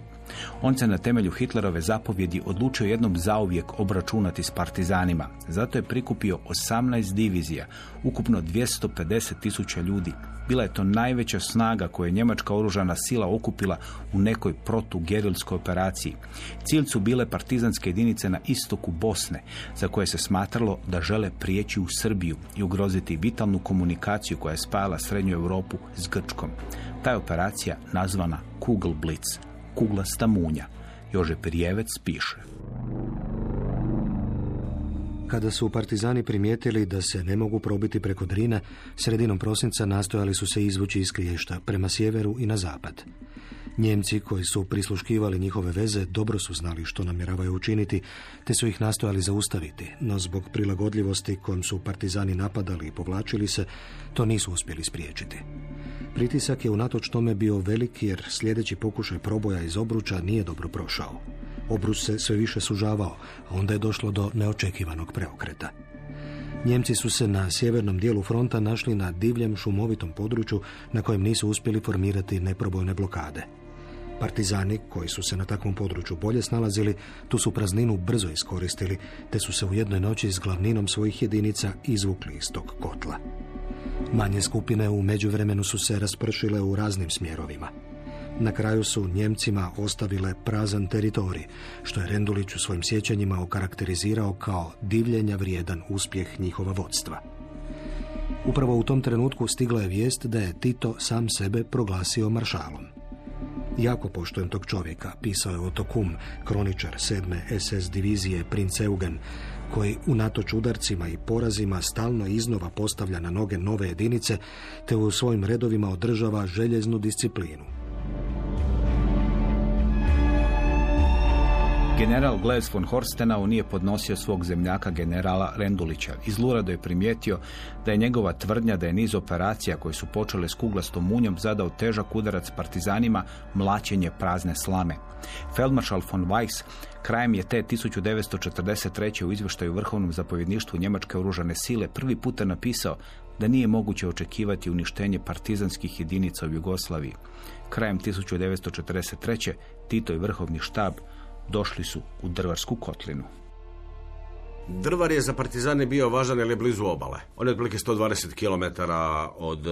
On se na temelju Hitlerove zapovjedi odlučio jednom zauvijek obračunati s partizanima. Zato je prikupio 18 divizija, ukupno 250.000 ljudi. Bila je to najveća snaga koju je njemačka oružana sila okupila u nekoj protugerilskoj operaciji. Cilj su bile partizanske jedinice na istoku Bosne, za koje se smatralo da žele prijeći u Srbiju i ugroziti vitalnu komunikaciju koja je spajala Srednju Europu s Grčkom. Ta je operacija nazvana Kugelblitz, kuglasta munja. Jože Pirjevec piše. Kada su partizani primijetili da se ne mogu probiti preko Drina, sredinom prosinca nastojali su se izvući iz Kliješta prema sjeveru i na zapad. Njemci koji su prisluškivali njihove veze dobro su znali što namjeravaju učiniti, te su ih nastojali zaustaviti, no zbog prilagodljivosti kojom su partizani napadali i povlačili se, to nisu uspjeli spriječiti. Pritisak je unatoč tome bio velik jer sljedeći pokušaj proboja iz obruča nije dobro prošao. Obrus se sve više sužavao, a onda je došlo do neočekivanog preokreta. Njemci su se na sjevernom dijelu fronta našli na divljem šumovitom području na kojem nisu uspjeli formirati neprobojne blokade. Partizani, koji su se na takvom području bolje snalazili, tu su prazninu brzo iskoristili, te su se u jednoj noći s glavninom svojih jedinica izvukli iz tog kotla. Manje skupine u međuvremenu su se raspršile u raznim smjerovima. Na kraju su Njemcima ostavile prazan teritorij, što je Rendulić u svojim sjećanjima okarakterizirao kao divljenja vrijedan uspjeh njihova vodstva. Upravo u tom trenutku stigla je vijest da je Tito sam sebe proglasio maršalom. Jako poštujem tog čovjeka, pisao je Otto Kumm, kroničar 7. SS divizije Prinz Eugen, koji unatoč udarcima i porazima stalno iznova postavlja na noge nove jedinice, te u svojim redovima održava željeznu disciplinu. General Glass von Horstenau nije podnosio svog zemljaka generala Rendulića. Zlurado je primijetio da je njegova tvrdnja da je niz operacija koje su počele s kuglastom munjom zadao težak udarac partizanima, mlaćenje prazne slame. Feldmaršal von Weichs krajem je te 1943. u izvještaju Vrhovnom zapovjedništvu njemačke oružane sile prvi puta napisao da nije moguće očekivati uništenje partizanskih jedinica u Jugoslaviji. Krajem 1943. Tito i Vrhovni štab došli su u Drvarsku kotlinu. Drvar je za partizane bio važan jer je blizu obale. On je otprilike 120 km od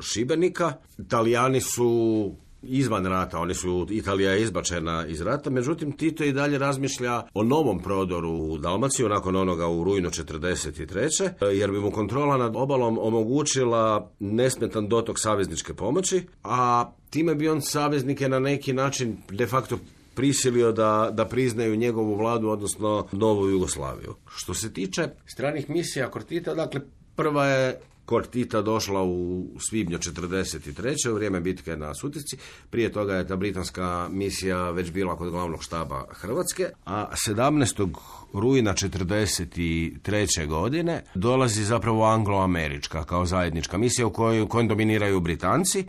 Šibenika. Italijani su izvan rata, Italija je izbačena iz rata, međutim Tito i dalje razmišlja o novom prodoru u Dalmaciju nakon onoga u rujnu 1943. jer bi mu kontrola nad obalom omogućila nesmetan dotok savezničke pomoći, a time bi on saveznike na neki način de facto prisilio da priznaju njegovu vladu, odnosno novu Jugoslaviju. Što se tiče stranih misija kod Tita, dakle prva je kod Tita došla u svibnju 1943. u vrijeme bitke na Sutjesci. Prije toga je ta britanska misija već bila kod glavnog štaba Hrvatske, a 17. rujna 1943. godine dolazi zapravo anglo-američka kao zajednička misija u kojoj dominiraju Britanci.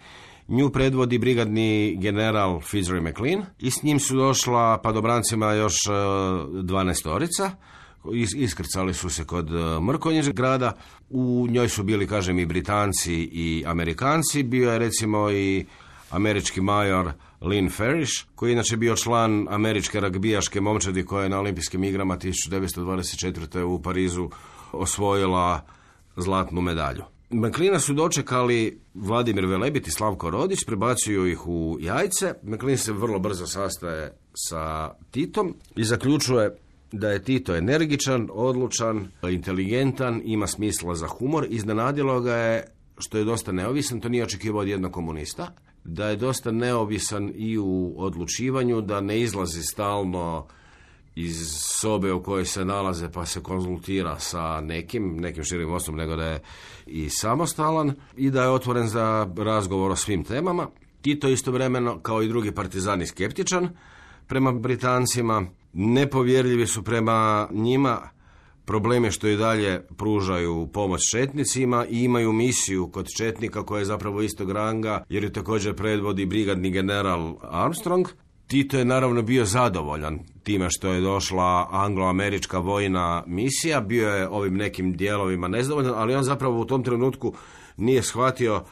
Nju predvodi brigadni general Fitzroy McLean i s njim su došla padobrancima još 12-orica. Iskrcali su se kod Mrkonjić grada. U njoj su bili, kažem, i Britanci i Amerikanci. Bio je recimo i američki major Lynn Farish, koji je inače bio član američke ragbijaške momčadi koja je na olimpijskim igrama 1924. u Parizu osvojila zlatnu medalju. McLeana su dočekali Vladimir Velebit i Slavko Rodić, prebacuju ih u Jajce. McLean se vrlo brzo sastaje sa Titom i zaključuje da je Tito energičan, odlučan, inteligentan, ima smisla za humor. Iznenadilo ga je što je dosta neovisan, to nije očekivao od jednog komunista, da je dosta neovisan i u odlučivanju, da ne izlazi stalno iz sobe u kojoj se nalaze pa se konzultira sa nekim širim osobom, nego da je i samostalan i da je otvoren za razgovor o svim temama. Tito istovremeno, kao i drugi partizani, skeptičan prema Britancima, nepovjerljivi su prema njima, probleme što i dalje pružaju pomoć četnicima i imaju misiju kod četnika koja je zapravo istog ranga, jer ju također predvodi brigadni general Armstrong. Tito je naravno bio zadovoljan time što je došla anglo-američka vojna misija, bio je ovim nekim dijelovima nezadovoljan, ali on zapravo u tom trenutku nije shvatio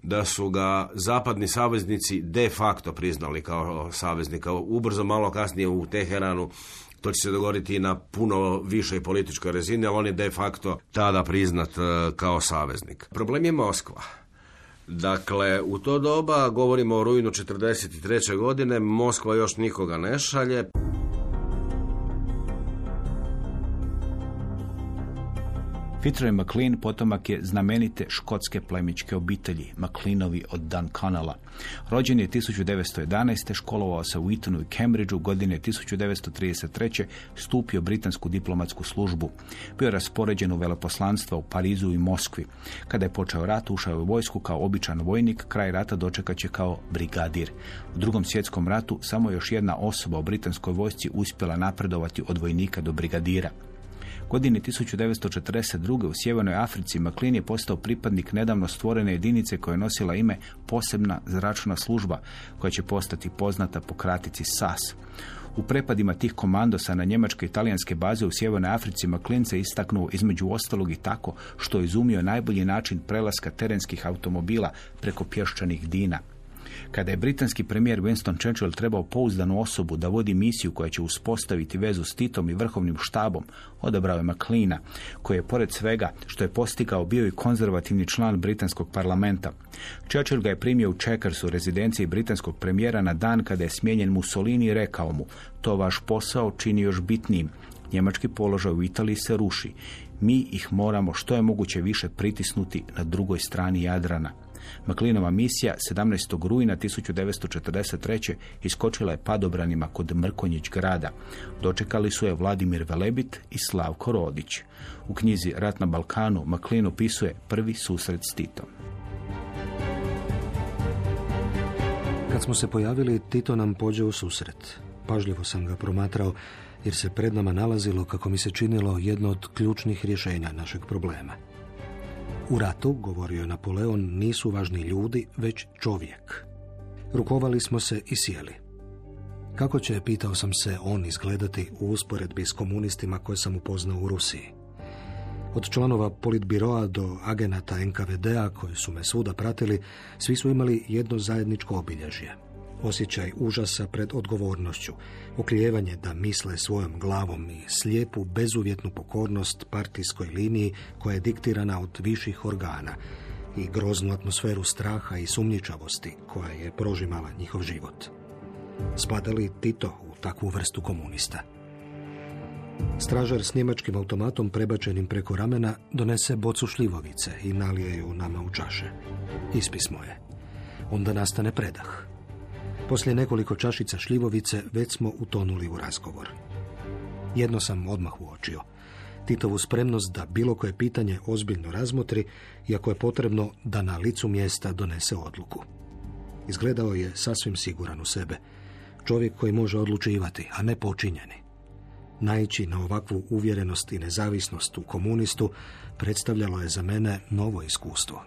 da su ga zapadni saveznici de facto priznali kao saveznika. Ubrzo malo kasnije u Teheranu to će se dogoditi i na puno višoj političkoj razini, ali on je de facto tada priznat kao saveznik. Problem je Moskva. Dakle, u to doba, govorimo o rujnu 1943. godine, Moskva još nikoga ne šalje. Fitzroy McLean potomak je znamenite škotske plemićke obitelji, McLeanovi od Dunconnella. Rođen je 1911. školovao se u Etonu i Cambridgeu, godine 1933. stupio britansku diplomatsku službu. Bio je raspoređen u veleposlanstva u Parizu i Moskvi. Kada je počeo rat, ušao je u vojsku kao običan vojnik, kraj rata dočekat će kao brigadir. U Drugom svjetskom ratu samo još jedna osoba u britanskoj vojsci uspjela napredovati od vojnika do brigadira. Godine 1942. u Sjevernoj Africi McLean je postao pripadnik nedavno stvorene jedinice koja je nosila ime Posebna zračna služba, koja će postati poznata po kratici SAS. U prepadima tih komandosa na njemačke i talijanske baze u Sjevernoj Africi McLean se istaknuo između ostalog i tako što je izumio najbolji način prelaska terenskih automobila preko pješčanih dina. Kada je britanski premijer Winston Churchill trebao pouzdanu osobu da vodi misiju koja će uspostaviti vezu s Titom i vrhovnim štabom, odabrao je McLeana, koji je pored svega što je postigao bio i konzervativni član britanskog parlamenta. Churchill ga je primio u Checkersu, rezidenciji britanskog premijera, na dan kada je smijenjen Mussolini i rekao mu: "To vaš posao čini još bitnijim. Njemački položaj u Italiji se ruši. Mi ih moramo što je moguće više pritisnuti na drugoj strani Jadrana." McLeanova misija 17. rujna 1943. iskočila je padobranima kod Mrkonjić grada. Dočekali su je Vladimir Velebit i Slavko Rodić. U knjizi Rat na Balkanu McLean opisuje prvi susret s Titom. Kad smo se pojavili, Tito nam pođe u susret. Pažljivo sam ga promatrao jer se pred nama nalazilo, kako mi se činilo, jedno od ključnih rješenja našeg problema. U ratu, govorio je Napoleon, nisu važni ljudi, već čovjek. Rukovali smo se i sjeli. Kako će, pitao sam se, on izgledati u usporedbi s komunistima koje sam upoznao u Rusiji? Od članova politbiroa do agenata NKVD-a koji su me svuda pratili, svi su imali jedno zajedničko obilježje. Osjećaj užasa pred odgovornošću, oklijevanje da misle svojom glavom i slijepu, bezuvjetnu pokornost partijskoj liniji koja je diktirana od viših organa i groznu atmosferu straha i sumnjičavosti koja je prožimala njihov život. Spada li Tito u takvu vrstu komunista? Stražar s njemačkim automatom prebačenim preko ramena donese bocu šljivovice i nalije ju nama u čaše. Ispismo je. Onda nastane predah. Poslije nekoliko čašica šljivovice već smo utonuli u razgovor. Jedno sam odmah uočio. Titovu spremnost da bilo koje pitanje ozbiljno razmotri i ako je potrebno da na licu mjesta donese odluku. Izgledao je sasvim siguran u sebe. Čovjek koji može odlučivati, a ne počinjeni. Naići na ovakvu uvjerenost i nezavisnost u komunistu predstavljalo je za mene novo iskustvo.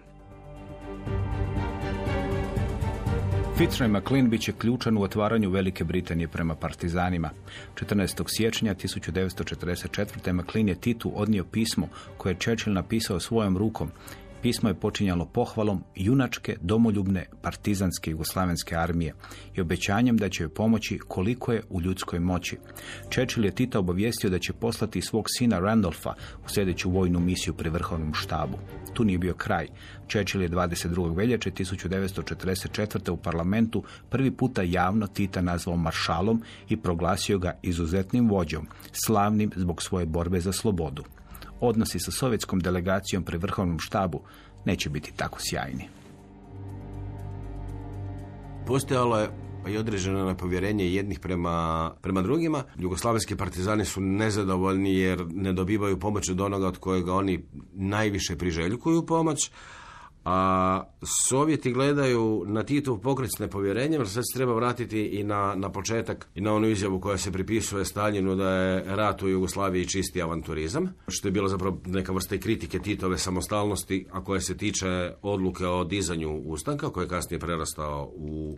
Fitzroy McLean bit će ključan u otvaranju Velike Britanije prema partizanima. 14. siječnja 1944. McLean je Titu odnio pismo koje je Churchill napisao svojom rukom. Pismo je počinjalo pohvalom junačke, domoljubne, partizanske jugoslavenske armije i obećanjem da će joj pomoći koliko je u ljudskoj moći. Churchill je Tita obavijestio da će poslati svog sina Randolfa u sljedeću vojnu misiju pri vrhovnom štabu. Tu nije bio kraj. Churchill je 22. veljače 1944. u parlamentu prvi puta javno Tita nazvao maršalom i proglasio ga izuzetnim vođom, slavnim zbog svoje borbe za slobodu. Odnosi sa sovjetskom delegacijom pri vrhovnom štabu neće biti tako sjajni. Postojalo je i određeno nepovjerenje jednih prema drugima. Jugoslavenski partizani su nezadovoljni jer ne dobivaju pomoć od onoga od kojega oni najviše priželjkuju pomoć, a Sovjeti gledaju na Titov pokret s nepovjerenjem, jer sad se treba vratiti i na početak i na onu izjavu koja se pripisuje Staljinu da je rat u Jugoslaviji čisti avanturizam, što je bilo zapravo neka vrsta i kritike Titove samostalnosti, a koja se tiče odluke o dizanju ustanka, koji je kasnije prerastao u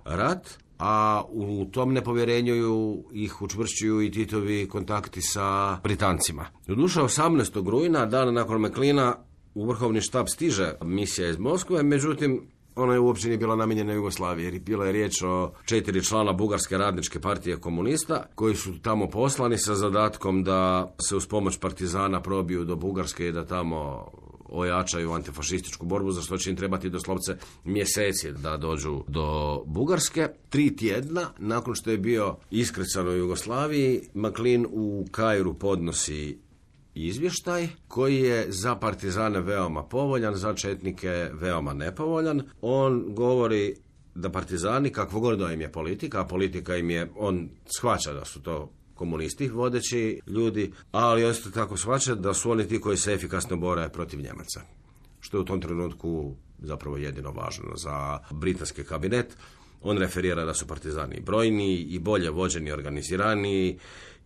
rat, a u tom nepovjerenju ih učvršćuju i Titovi kontakti sa Britancima. Doduše 18. rujna, dan nakon McLeana, u vrhovni štab stiže misija iz Moskve, međutim, ona je uopće nije bila namijenjena Jugoslaviji, jer bila je riječ o 4 člana Bugarske radničke partije komunista, koji su tamo poslani sa zadatkom da se uz pomoć partizana probiju do Bugarske i da tamo ojačaju antifašističku borbu, za što će im trebati doslovce mjeseci da dođu do Bugarske. 3 tjedna nakon što je bio iskrcan u Jugoslaviji, McLean u Kairu podnosi izvještaj koji je za partizane veoma povoljan, za četnike veoma nepovoljan. On govori da partizani, kakvo god da im je politika, a politika im je, on shvaća da su to komunisti vodeći ljudi, ali isto tako shvaća da su oni ti koji se efikasno bore protiv Njemaca. Što je u tom trenutku zapravo jedino važno za britanski kabinet. On referira da su partizani brojni i bolje vođeni, organizirani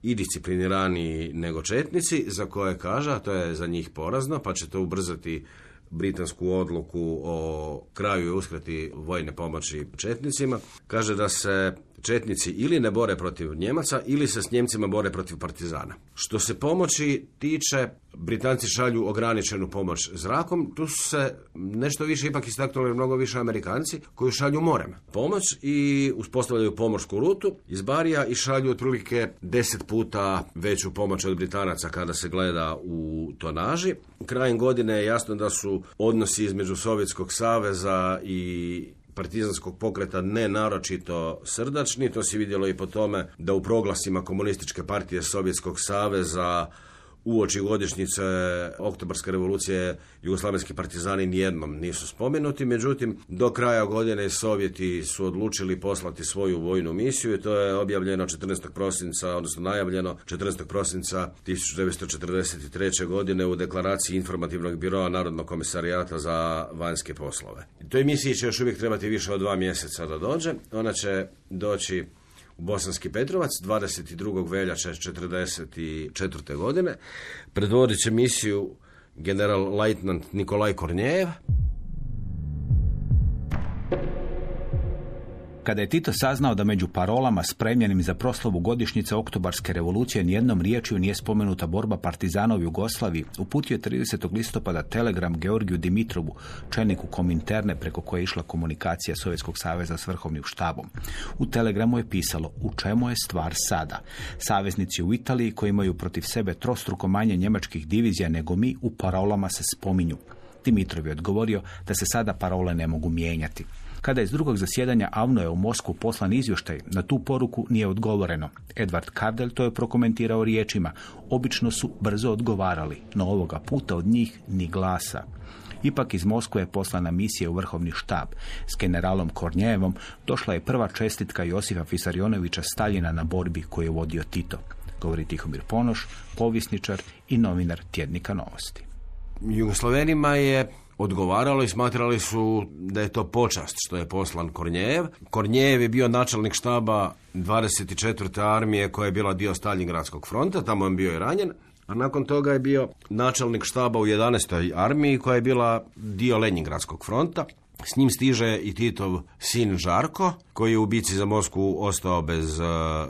i disciplinirani nego četnici, za koje kaže, a to je za njih porazno, pa će to ubrzati britansku odluku o kraju i uskrati vojne pomoći četnicima. Kaže da se četnici ili ne bore protiv Njemaca ili se s Njemcima bore protiv partizana. Što se pomoći tiče, Britanci šalju ograničenu pomoć zrakom, tu su se nešto više ipak istaknuli mnogo više Amerikanci koji šalju morem pomoć i uspostavljaju pomorsku rutu iz Barija i šalju otprilike 10 puta veću pomoć od Britanaca kada se gleda u tonaži. Krajem godine je jasno da su odnosi između Sovjetskog saveza i partizanskog pokreta ne naročito srdačni. To se vidjelo i po tome da u proglasima Komunističke partije Sovjetskog saveza uoči godišnjice Oktobarske revolucije jugoslavenski partizani nijednom nisu spomenuti, međutim do kraja godine Sovjeti su odlučili poslati svoju vojnu misiju i to je objavljeno 14. prosinca, odnosno najavljeno 14. prosinca 1943. godine u deklaraciji Informativnog biroa Narodnog komisarijata za vanjske poslove. Toj misiji će još uvijek trebati više od 2 mjeseca da dođe. Ona će doći u Bosanski Petrovac 22. veljače 1944. godine. Predvodit će misiju general-lejtnant Nikolaj Kornjejev. Kada je Tito saznao da među parolama spremljenim za proslavu godišnjice Oktobarske revolucije nijednom riječju nije spomenuta borba partizana u Jugoslaviji, uputio je 30. listopada telegram Georgiju Dimitrovu, čelniku Kominterne preko koje je išla komunikacija Sovjetskog saveza s vrhovnim štabom. U telegramu je pisalo: u čemu je stvar sada? Saveznici u Italiji koji imaju protiv sebe trostruko manje njemačkih divizija nego mi u parolama se spominju. Dimitrov je odgovorio da se sada parole ne mogu mijenjati. Kada je iz drugog zasjedanja AVNO-a u Moskvu poslan izvještaj, na tu poruku nije odgovoreno. Edvard Kardel to je prokomentirao riječima: obično su brzo odgovarali, no ovoga puta od njih ni glasa. Ipak iz Moskve je poslana misija u vrhovni štab. S generalom Kornjevom došla je prva čestitka Josifa Fisarionovića Staljina na borbi koju je vodio Tito. Govori Tihomir Ponoš, povjesničar i novinar tjednika Novosti. Jugoslavenima je odgovaralo i smatrali su da je to počast što je poslan Kornjev. Kornjev je bio načelnik štaba 24. armije koja je bila dio Staljingradskog fronta, tamo je bio i ranjen. A nakon toga je bio načelnik štaba u 11. armiji koja je bila dio Lenjingradskog fronta. S njim stiže i Titov sin Žarko, koji je u bici za Moskvu ostao bez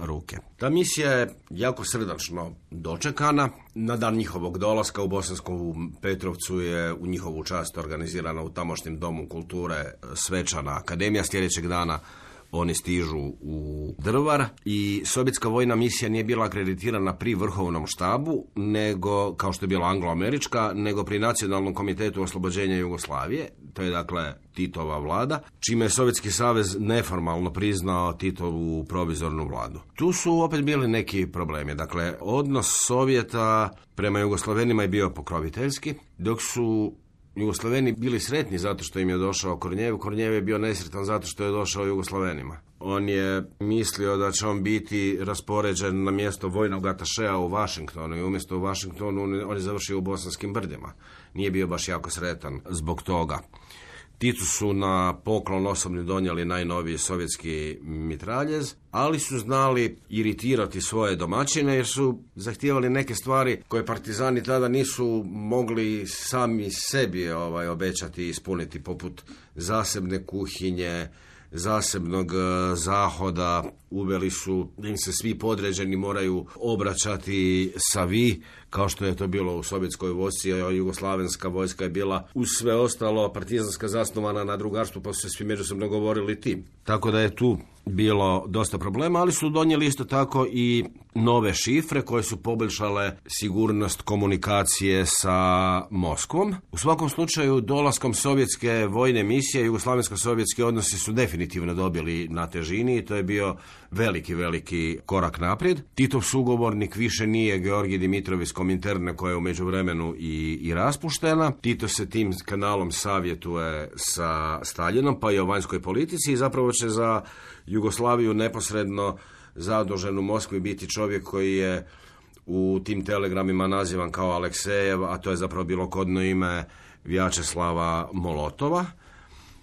ruke. Ta misija je jako srdačno dočekana. Na dan njihovog dolaska u Bosanskom Petrovcu je u njihovu čast organizirana u tamošnjem domu kulture svečana akademija. Sljedećeg dana oni stižu u Drvar i sovjetska vojna misija nije bila akreditirana pri vrhovnom štabu, nego, kao što je bila anglo-američka, nego pri Nacionalnom komitetu oslobođenja Jugoslavije. To je dakle Titova vlada, čime je Sovjetski savez neformalno priznao Titovu provizornu vladu. Tu su opet bili neki problemi. Dakle, odnos Sovjeta prema Jugoslavenima je bio pokroviteljski, dok su Jugoslaveni bili sretni zato što im je došao Kornjev. Kornjev je bio nesretan zato što je došao Jugoslavenima. On je mislio da će on biti raspoređen na mjesto vojnog atašea u Washingtonu i umjesto u Washingtonu on je završio u Bosanskim brdima. Nije bio baš jako sretan zbog toga. Titu su na poklon osobno donijeli najnoviji sovjetski mitraljez, ali su znali iritirati svoje domaćine jer su zahtijevali neke stvari koje partizani tada nisu mogli sami sebi obećati i ispuniti, poput zasebne kuhinje, zasebnog zahoda. Uveli su da im se svi podređeni moraju obraćati sa vi, kao što je to bilo u sovjetskoj vojsci, a jugoslavenska vojska je bila uz sve ostalo partizanska zasnovana na drugarstvu, pa su se svi međusobno govorili ti. Tako da je tu bilo dosta problema, ali su donijeli isto tako i nove šifre koje su poboljšale sigurnost komunikacije sa Moskvom. U svakom slučaju, dolaskom sovjetske vojne misije, jugoslavensko-sovjetski odnosi su definitivno dobili na težini i to je bio veliki korak naprijed. Titov sugovornik više nije Georgij Dimitrov iz Kominterne, koja je u međuvremenu i raspuštena. Tito se tim kanalom savjetuje sa Staljinom, pa i o vanjskoj politici, i zapravo će za Jugoslaviju neposredno zadužen u Moskvi biti čovjek koji je u tim telegramima nazivan kao Aleksejev, a to je zapravo bilo kodno ime Vjačeslava Molotova.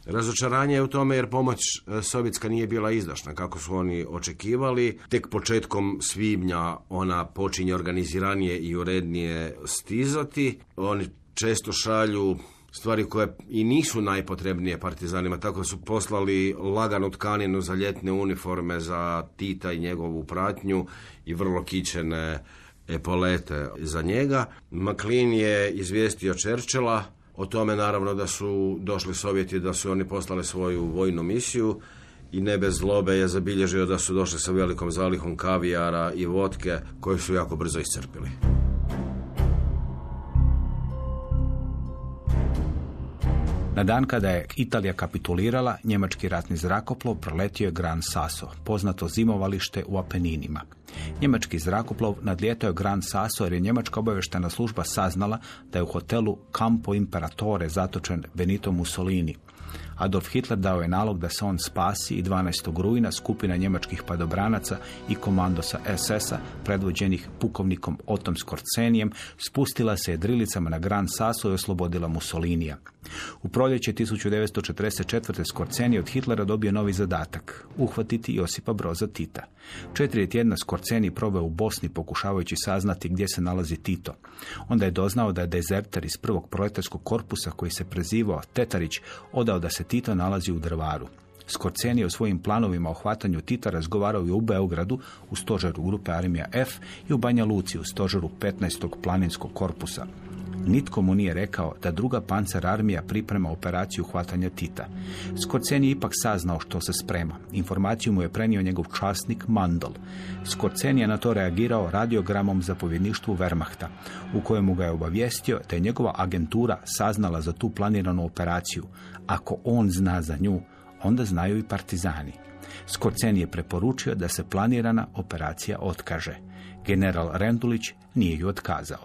Razočaranje je u tome jer pomoć sovjetska nije bila izdašna kako su oni očekivali. Tek početkom svibnja ona počinje organiziranije i urednije stizati. Oni često šalju stvari koje i nisu najpotrebnije partizanima, tako su poslali laganu tkaninu za ljetne uniforme za Tita i njegovu pratnju i vrlo kićene epolete za njega. McLean je izvijestio Churchilla o tome, naravno, da su došli Sovjeti, da su oni poslali svoju vojnu misiju, i ne bez zlobe je zabilježio da su došli sa velikom zalihom kavijara i vodke koju su jako brzo iscrpili. Na dan kada je Italija kapitulirala, njemački ratni zrakoplov proletio je Gran Sasso, poznato zimovalište u Apeninima. Njemački zrakoplov nadlijetao je Gran Sasso jer je njemačka obavještajna služba saznala da je u hotelu Campo Imperatore zatočen Benito Mussolini. Adolf Hitler dao je nalog da se on spasi i 12. rujna skupina njemačkih padobranaca i komandosa SS-a, predvođenih pukovnikom Otom Skorcenijem, spustila se jedrilicama na Gran Sasso i oslobodila Mussolinija. U proljeće 1944. Skorceni od Hitlera dobio novi zadatak – uhvatiti Josipa Broza Tita. 4 tjedna Skorceni proveo u Bosni pokušavajući saznati gdje se nalazi Tito. Onda je doznao da je dezerter iz prvog proletarskog korpusa koji se prezivao Tetarić odao da se Tito nalazi u Drvaru. Skorceni je o svojim planovima o hvatanju Tita razgovarao i u Beogradu u stožeru grupe Armija F i u Banja Luci u stožeru 15. planinskog korpusa. Nitko mu nije rekao da druga pancer armija priprema operaciju hvatanja Tita. Skorceni je ipak saznao što se sprema. Informaciju mu je prenio njegov časnik Mandl. Skorceni je na to reagirao radiogramom zapovjedništvu Wehrmachta, u kojemu ga je obavijestio da je njegova agentura saznala za tu planiranu operaciju. Ako on zna za nju, onda znaju i partizani. Skorceni je preporučio da se planirana operacija otkaže. General Rendulić nije ju otkazao.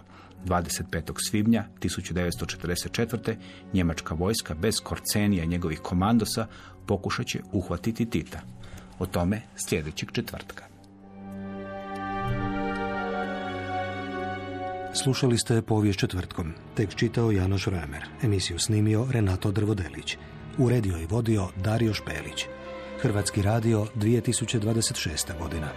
25. svibnja 1944. njemačka vojska bez Skorcenija i njegovih komandosa pokušat će uhvatiti Tita. O tome sljedećeg četvrtka. Slušali ste Povijest četvrtkom. Tekst čitao Janoš Ramer. Emisiju snimio Renato Drvodelić. Uredio i vodio Dario Špelić. Hrvatski radio 2026. godina.